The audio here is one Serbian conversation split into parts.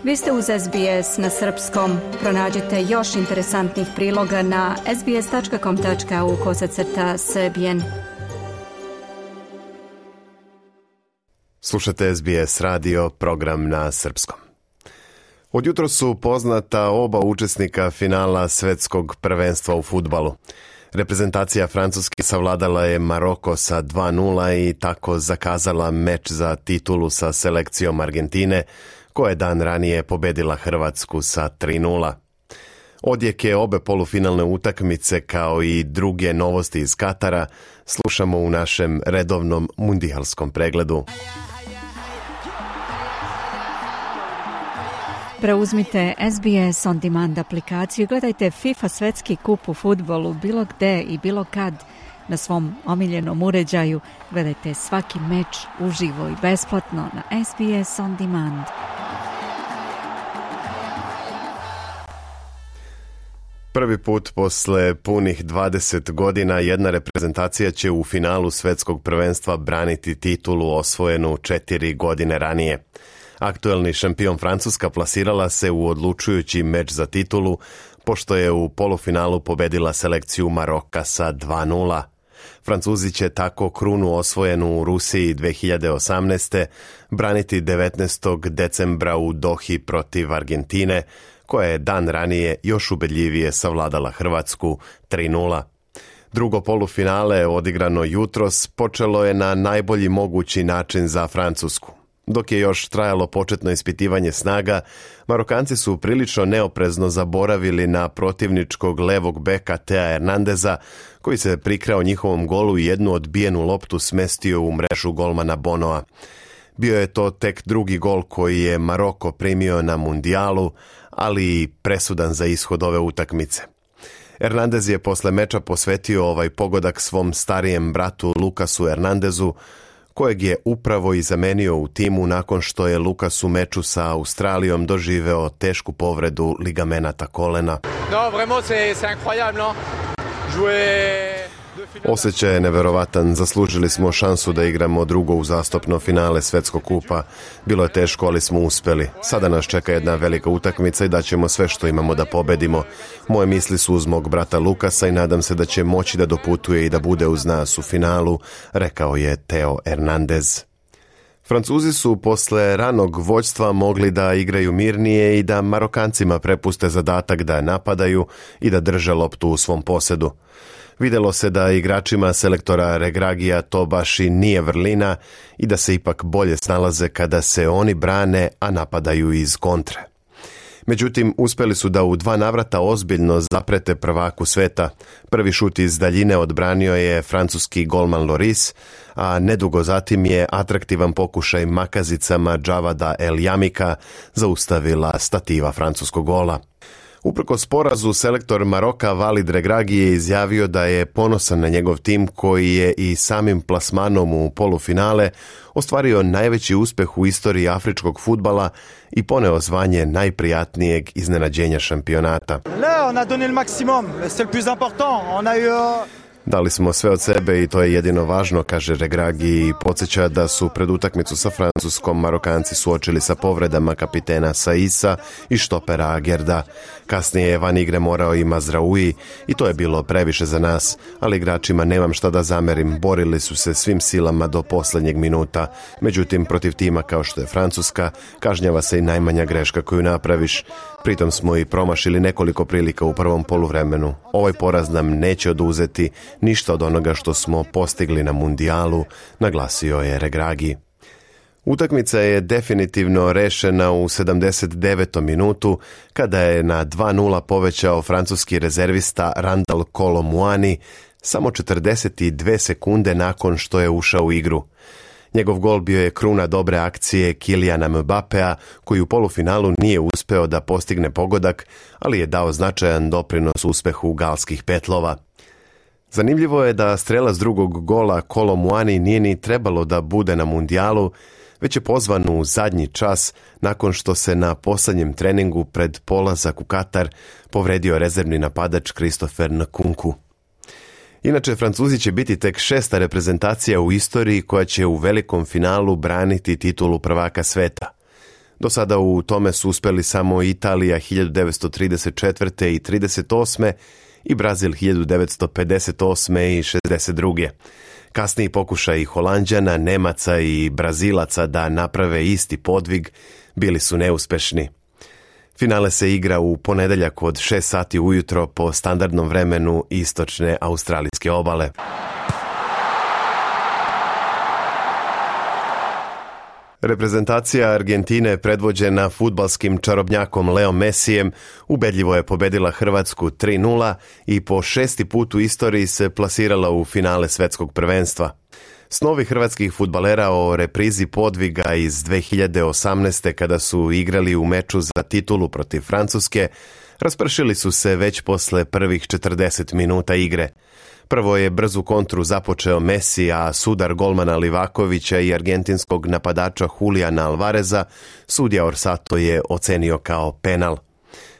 Vi ste uz SBS na srpskom. Pronađite još interesantnih priloga na sbs.com.au/srbijen. Slušate SBS radio, program na srpskom. Od jutro su poznata oba učesnika finala svetskog prvenstva u fudbalu. Reprezentacija Francuske savladala je Maroko sa 2:0 i tako zakazala meč za titulu sa selekcijom Argentine, koja je dan ranije pobedila Hrvatsku sa 3:0. Odjeke obe polufinalne utakmice kao i druge novosti iz Katara slušamo u našem redovnom mundijalskom pregledu. Preuzmite SBS On Demand aplikaciju, gledajte FIFA svetski kup u fudbalu bilo gde i bilo kad na svom omiljenom uređaju. Gledajte svaki meč uživo i besplatno na SBS On Demand. Prvi put posle punih 20 godina jedna reprezentacija će u finalu svetskog prvenstva braniti titulu osvojenu 4 godine ranije. Aktuelni šampion Francuska plasirala se u odlučujući meč za titulu, pošto je u polufinalu pobedila selekciju Maroka sa 2:0. Francuzi će tako krunu osvojenu u Rusiji 2018. braniti 19. decembra u Dohi protiv Argentine, koja je dan ranije još ubedljivije savladala Hrvatsku 3:0. Drugo polufinale, odigrano jutros, počelo je na najbolji mogući način za Francusku. Dok je još trajalo početno ispitivanje snaga, Marokanci su prilično neoprezno zaboravili na protivničkog levog beka Thea Hernandeza, koji se prikrao njihovom golu i jednu odbijenu loptu smestio u mrežu golmana Bonoa. Bio je to tek drugi gol koji je Maroko primio na mundijalu, ali i presudan za ishod ove utakmice. Hernandez je posle meča posvetio ovaj pogodak svom starijem bratu Lukasu Hernandezu, kojeg je upravo i zamenio u timu nakon što je Lukas u meču sa Australijom doživeo tešku povredu ligamenata kolena. Osjećaj je neverovatan, zaslužili smo šansu da igramo drugo uzastopno finale svetskog kupa. Bilo je teško, ali smo uspeli. Sada nas čeka jedna velika utakmica i daćemo sve što imamo da pobedimo. Moje misli su uz mog brata Lukasa i nadam se da će moći da doputuje i da bude uz nas u finalu, rekao je Theo Hernandez. Francuzi su posle ranog vođstva mogli da igraju mirnije i da Marokancima prepuste zadatak da napadaju i da drže loptu u svom posedu. Videlo se da igračima selektora Regragija to baš i nije vrlina i da se ipak bolje snalaze kada se oni brane, a napadaju iz kontre. Međutim, uspeli su da u 2 navrata ozbiljno zaprete prvaku sveta. Prvi šut iz daljine odbranio je francuski golman Loris, a nedugo zatim je atraktivan pokušaj makazicama Džavada El Jamika zaustavila stativa francuskog gola. Uprkos porazu, selektor Maroka Walid Regragi je izjavio da je ponosan na njegov tim koji je i samim plasmanom u polufinale ostvario najveći uspeh u istoriji afričkog fudbala i poneo zvanje najprijatnijeg iznenađenja šampionata. Dali smo sve od sebe i to je jedino važno, kaže Regragi i podsjeća da su pred utakmicu sa Francuskom Marokanci suočili sa povredama kapitena Saisa i štopera Agerda. Kasnije je van igre morao i Mazraoui i to je bilo previše za nas, ali igračima nemam šta da zamerim, borili su se svim silama do posljednjeg minuta. Međutim, protiv tima kao što je Francuska, kažnjava se i najmanja greška koju napraviš. Pritom smo i promašili nekoliko prilika u prvom poluvremenu. Ovaj poraz nam neće oduzeti ništa od onoga što smo postigli na mundijalu, naglasio je Regragi. Utakmica je definitivno rešena u 79. minutu kada je na 2:0 povećao francuski rezervista Randal Kolo Muani samo 42 sekunde nakon što je ušao u igru. Njegov gol bio je kruna dobre akcije Kyliana Mbappea, koji u polufinalu nije uspeo da postigne pogodak, ali je dao značajan doprinos uspehu galskih petlova. Zanimljivo je da strelac drugog gola Kolo Muani nije ni trebalo da bude na mundijalu, već je pozvan u zadnji čas nakon što se na posljednjem treningu pred polazak u Katar povredio rezervni napadač Christopher Nkunku. Inače, Francuzi će biti tek 6. reprezentacija u istoriji koja će u velikom finalu braniti titulu prvaka sveta. Do sada u tome su uspeli samo Italija 1934. i 1938. i Brazil 1958. i 1962. Kasniji pokušaji Holanđana, Nemaca i Brazilaca da naprave isti podvig bili su neuspešni. Finale se igra u ponedeljak od 6 sati ujutro po standardnom vremenu istočne australijske obale. Reprezentacija Argentine, predvođena fudbalskim čarobnjakom Leo Messijem, ubedljivo je pobedila Hrvatsku 3:0 i po 6. put u istoriji se plasirala u finale svetskog prvenstva. Snovi hrvatskih fudbalera o reprizi podviga iz 2018. kada su igrali u meču za titulu protiv Francuske, raspršili su se već posle prvih 40 minuta igre. Prvo je brzu kontru započeo Messi, a sudar golmana Livakovića i argentinskog napadača Juliana Alvareza sudija Orsato je ocenio kao penal.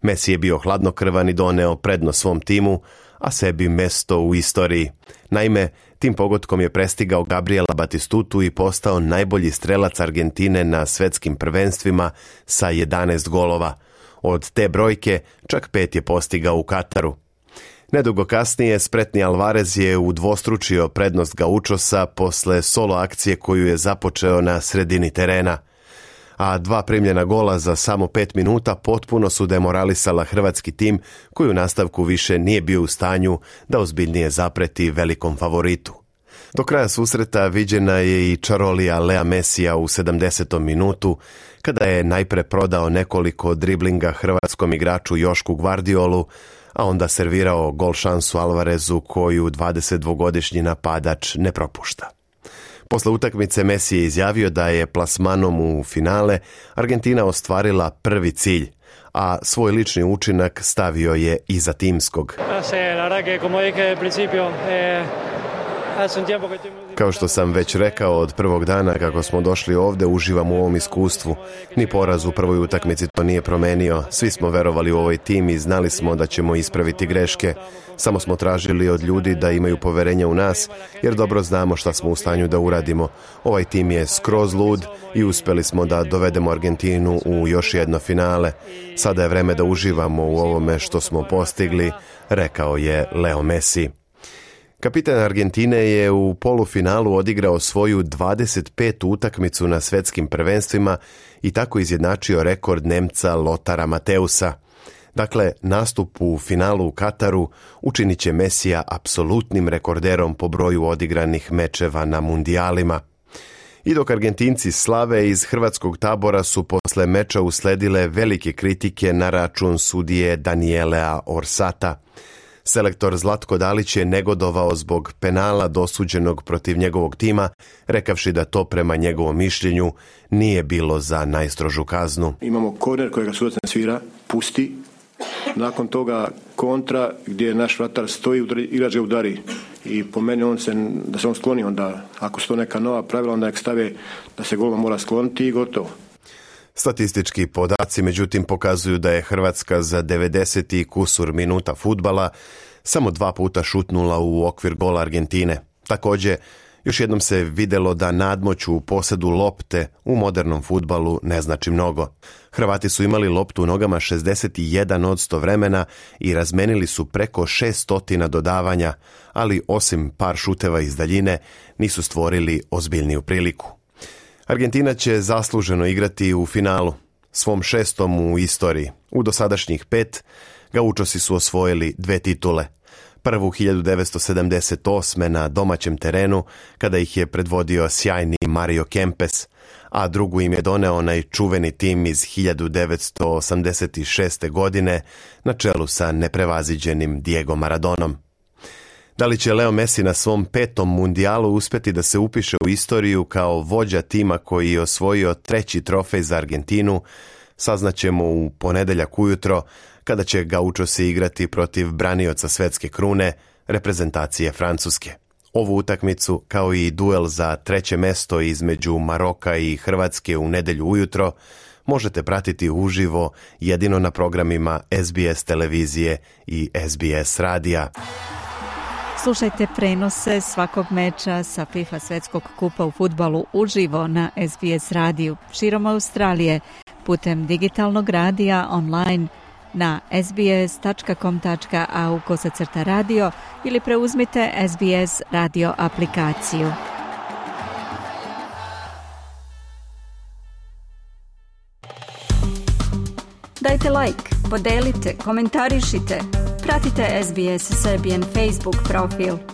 Messi je bio hladnokrvan i doneo prednost svom timu, a sebi mesto u istoriji. Naime, tim pogodkom je prestigao Gabriela Batistutu i postao najbolji strelac Argentine na svetskim prvenstvima sa 11 golova. Od te brojke čak 5 je postigao u Kataru. Nedugo kasnije spretni Alvarez je udvostručio prednost Gaučosa posle solo akcije koju je započeo na sredini terena. A 2 primljena gola za samo 5 minuta potpuno su demoralisala hrvatski tim koji u nastavku više nije bio u stanju da ozbiljnije zapreti velikom favoritu. Do kraja susreta viđena je i čarolija Lea Messija u 70. minutu, kada je najpre prodao nekoliko driblinga hrvatskom igraču Jošku Gvardiolu, a onda servirao gol šansu Alvarezu koju 22-godišnji napadač ne propušta. Posle utakmice Messi je izjavio da je plasmanom u finale Argentina ostvarila prvi cilj, a svoj lični učinak stavio je iza timskog. Kao što sam već rekao od prvog dana kako smo došli ovde, uživam u ovom iskustvu. Ni poraz u prvoj utakmici to nije promenio. Svi smo verovali u ovaj tim i znali smo da ćemo ispraviti greške. Samo smo tražili od ljudi da imaju poverenja u nas, jer dobro znamo šta smo u stanju da uradimo. Ovaj tim je skroz lud i uspeli smo da dovedemo Argentinu u još jedno finale. Sada je vreme da uživamo u ovome što smo postigli, rekao je Leo Messi. Kapitan Argentine je u polufinalu odigrao svoju 25. utakmicu na svetskim prvenstvima i tako izjednačio rekord Nemca Lothara Mattheusa. Dakle, nastup u finalu u Kataru učinit će Messija apsolutnim rekorderom po broju odigranih mečeva na mundijalima. I dok Argentinci slave, iz hrvatskog tabora su posle meča usledile velike kritike na račun sudije Danielea Orsata. Selektor Zlatko Dalić je negodovao zbog penala dosuđenog protiv njegovog tima, rekavši da to prema njegovom mišljenju nije bilo za najstrožu kaznu. Imamo korner kojega sudac ne svira, pusti. Nakon toga kontra gdje naš vratar stoji, igrač ga udari. I po meni da se on skloni, onda ako su to neka nova pravila, onda nek stave da se golman mora skloniti i gotovo. Statistički podaci međutim pokazuju da je Hrvatska za 90 i kusur minuta fudbala samo 2 puta šutnula u okvir gola Argentine. Također, još jednom se videlo da nadmoć u posedu lopte u modernom fudbalu ne znači mnogo. Hrvati su imali loptu u nogama 61% vremena i razmenili su preko 600 dodavanja, ali osim par šuteva iz daljine nisu stvorili ozbiljniju priliku. Argentina će zasluženo igrati u finalu, svom 6. u istoriji. U dosadašnjih 5 Gaučosi su osvojili 2 titule. Prvu 1978. na domaćem terenu, kada ih je predvodio sjajni Mario Kempes, a drugu im je doneo onaj čuveni tim iz 1986. godine na čelu sa neprevaziđenim Diego Maradonom. Da li će Leo Messi na svom 5. mundijalu uspjeti da se upiše u istoriju kao vođa tima koji je osvojio 3. trofej za Argentinu, saznaćemo u ponedeljak ujutro, kada će Gaučosi igrati protiv branioca svetske krune, reprezentacije Francuske. Ovu utakmicu, kao i duel za 3. mesto između Maroka i Hrvatske u nedjelju ujutro, možete pratiti uživo jedino na programima SBS televizije i SBS radija. Slušajte prenose svakog meča sa FIFA svetskog kupa u fudbalu uživo na SBS radiju širom Australije, putem digitalnog radija online na sbs.com.au/radio ili preuzmite SBS radio aplikaciju. Dajte like, podelite, komentarišite, pratite SBS Serbian Facebook profil.